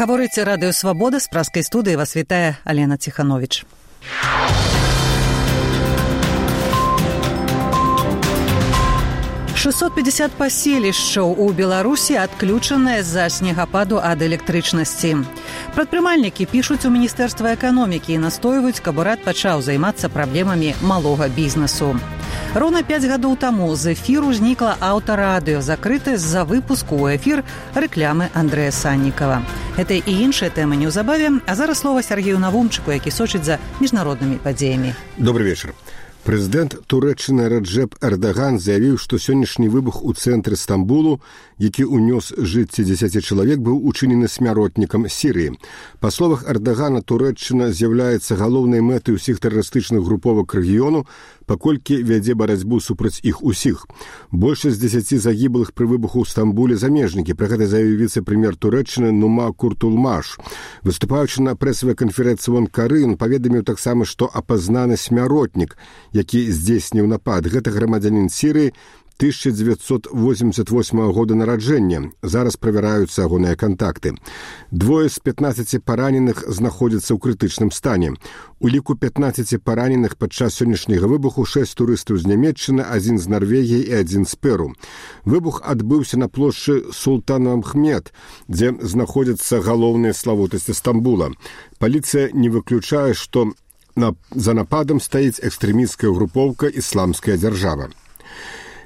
Гаворыць радыё «Свабода», з праскай студыі вас вітае Алена Ціхановіч. «650 паселішчаў у Беларусі адключаныя з-за снегападу ад электрычнасці. Прадпрымальнікі пішуць у Міністэрства эканомікі і настойваюць, каб урад пачаў займацца праблемамі малога бізнесу. Роўна 5 гадоў таму з эфіру знікла аўтарадыё, закрытае з-за выпуску ў эфір рэклямы Андрэя Саннікава. Гэта і іншыя тэмы неўзабаве, а зараз слова Сергею Навумчыку, які сочыць за міжнароднымі падзеямі. Добрый вечер. Прэзідэнт Турэччыны Раджэп Эрдаган заявіў, што сённяшні выбух у цэнтры Стамбулу, які ўнёс жыцці 10 чалавек, быў учынены смяротнікам Сірыі. Па словах Эрдагана, Турэччына з'яўляецца галоўнай мэтай усіх тэрарыстычных груповак рэгіёну, паколькі вядзе барацьбу супраць іх усіх. Большасць 10 загіблых пры выбуху ў Стамбуле замежнікі. Пра гэта заявіў віцэ-прэм'ер Турэччыны Нума Куртулмаш. Выступаючы на прэсавай канферэнцыі ў Анкары, ён паведаміў таксама, што апазнаны смяротнік, які здзейсніў напад. Гэта грамадзянін Сірыі 1988 года нараджэння. Зараз правяраюцца ягоныя кантакты. Двое з 15 параненых знаходзяцца ў крытычным стане. У ліку 15 параненых падчас сённяшняга выбуху 6 турыстаў з Нямецчыны, 1 з Нарвегіі і 1 з Перу. Выбух адбыўся на плошчы Султан-Ахмед, дзе знаходзяцца галоўныя славутасці Стамбула. Паліцыя не выключае, што за нападам стаіць экстрэмісцкая групоўка «Ісламская дзяржава».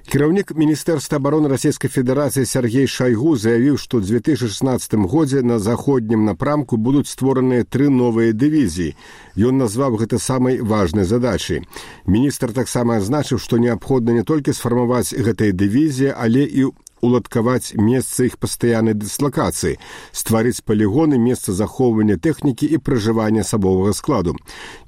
Кіраўнік Міністэрства абароны Расійскай Федэрацыі Сергей Шайгу заявіў, што ў 2016 годзе на заходнім напрамку будуць створаныя 3 новыя дывізіі. Ён назваў гэта самай важнай задачай. Міністр таксама адзначыў, што неабходна не толькі сфармаваць гэтыя дывізіі, але і уладкаваць месца іх пастаяннай дыслакацыі, стварыць палігоны, месца захоўвання тэхнікі і пражывання асабовага складу.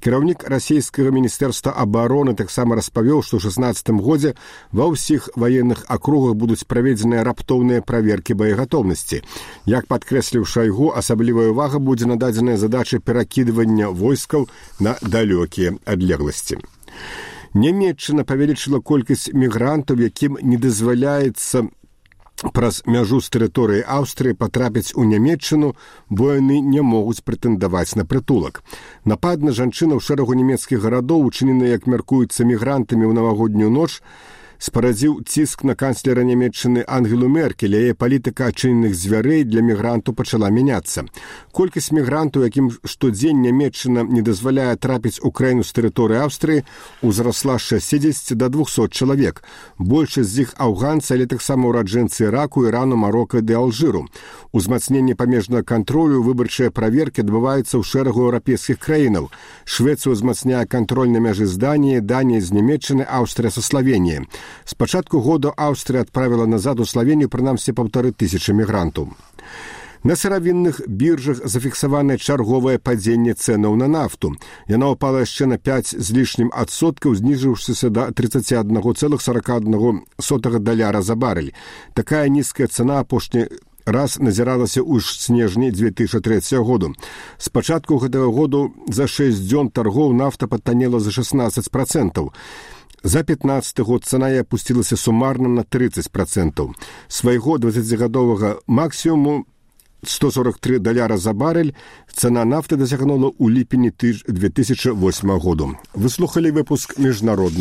Кіраўнік расійскага міністэрства абароны таксама распавёў, што ў 2016 годзе ва ўсіх ваенных акругах будуць праведзеныя раптоўныя праверкі боегатоўнасці. Як падкрэсліў Шайгу, асаблівая ўвага будзе нададзеная задача перакідвання войскаў на далёкія адлегласці. Нямецчына павялічыла колькасць мігрантаў, якім не дазваляецца праз мяжу з тэрыторыі Аўстрыі патрапіць у Нямецчыну, бо яны не могуць прэтэндаваць на прытулак. Напад на жанчыну ў шэрагу нямецкіх гарадоў, учынены, як мяркуецца, мігрантамі ў навагоднюю ноч, спарадзіў ціск на канцлера Нямецчыны Ангелу Меркель. Яе палітыка адчыненых дзвярэй для мігрантаў пачала мяняцца. Колькасць мігрантаў, якім штодзень Нямецчына не дазваляе трапіць у краіну з тэрыторыі Аўстрыі, узрасла з 60 да 200 чалавек. Большасць з іх афганцы, але таксама ўраджэнцы Іраку, Ірану, Марока ды Алжыру. Узмацненне памежнага кантролю, выбарчыя праверкі адбываюцца ў шэрагу еўрапейскіх краінаў. Швецыя ўзмацняе кантроль на мяжы з Даніяй, Данія з Нямецчыны, Аўстрыя са Славеніяй. З пачатку года Аўстрыя адправіла назад у Славенію прынамсі 1500 мігрантаў. На сыравінных біржах зафіксаванае чарговае падзенне цэнаў на нафту. Яна ўпала яшчэ на 5 з лішнім адсоткаў, зніжыўшыся да 31,41 даляра за барэль. Такая нізкая цана апошні раз назіралася ў снежні 2003 году. З пачатку гэтага году за 6 дзён таргоў нафта падтанела за 16%. За 15 год цана і апусцілася сумарна на 30%. Свайго 20-гадовага максімуму 143 даляра за барэль цана нафты дасягнула ў ліпені 2008 году. Вы слухалі выпуск міжнародны.